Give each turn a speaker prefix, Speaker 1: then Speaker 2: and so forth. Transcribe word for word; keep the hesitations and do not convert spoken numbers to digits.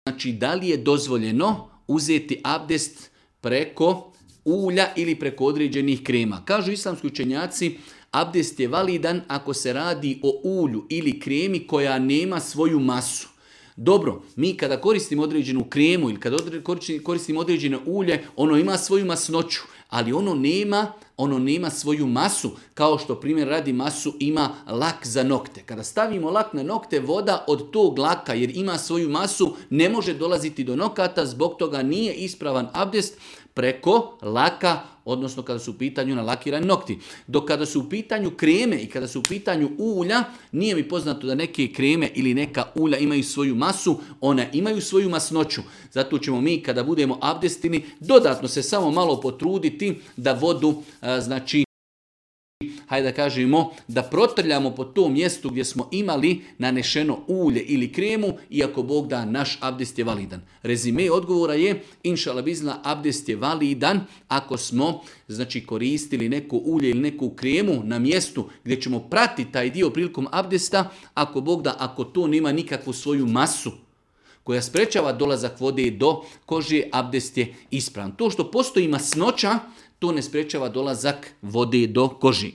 Speaker 1: znači da li je dozvoljeno uzeti abdest preko ulja ili preko određenih krema. Kažu islamski učenjaci, abdest je validan ako se radi o ulju ili kremi koja nema svoju masu. Dobro, mi kada koristimo određenu kremu ili kada koristimo određeno ulje, ono ima svoju masnoću, ali ono nema, ono nema svoju masu, kao što primjer radi masu ima lak za nokte. Kada stavimo lak na nokte, voda od tog laka, jer ima svoju masu, ne može dolaziti do nokata, zbog toga nije ispravan abdest preko laka, odnosno kada su u pitanju nalakirani nokti. Dok kada su u pitanju kreme i kada su u pitanju ulja, nije mi poznato da neke kreme ili neka ulja imaju svoju masu, one imaju svoju masnoću. Zato ćemo mi kada budemo abdestini dodatno se samo malo potruditi da vodu, znači, hajde da kažemo, da protrljamo po tom mjestu gdje smo imali nanešeno ulje ili kremu, iako Bog da, naš abdest je validan. Rezime odgovora je, inšala bizna, abdest je validan ako smo, znači, koristili neko ulje ili neku kremu na mjestu gdje ćemo pratiti taj dio prilikom abdesta, ako Bog da, ako to nema nikakvu svoju masu koja sprečava dolazak vode do kože, abdest je ispravan. To što postoji masnoća, to ne sprečava dolazak vode do koži.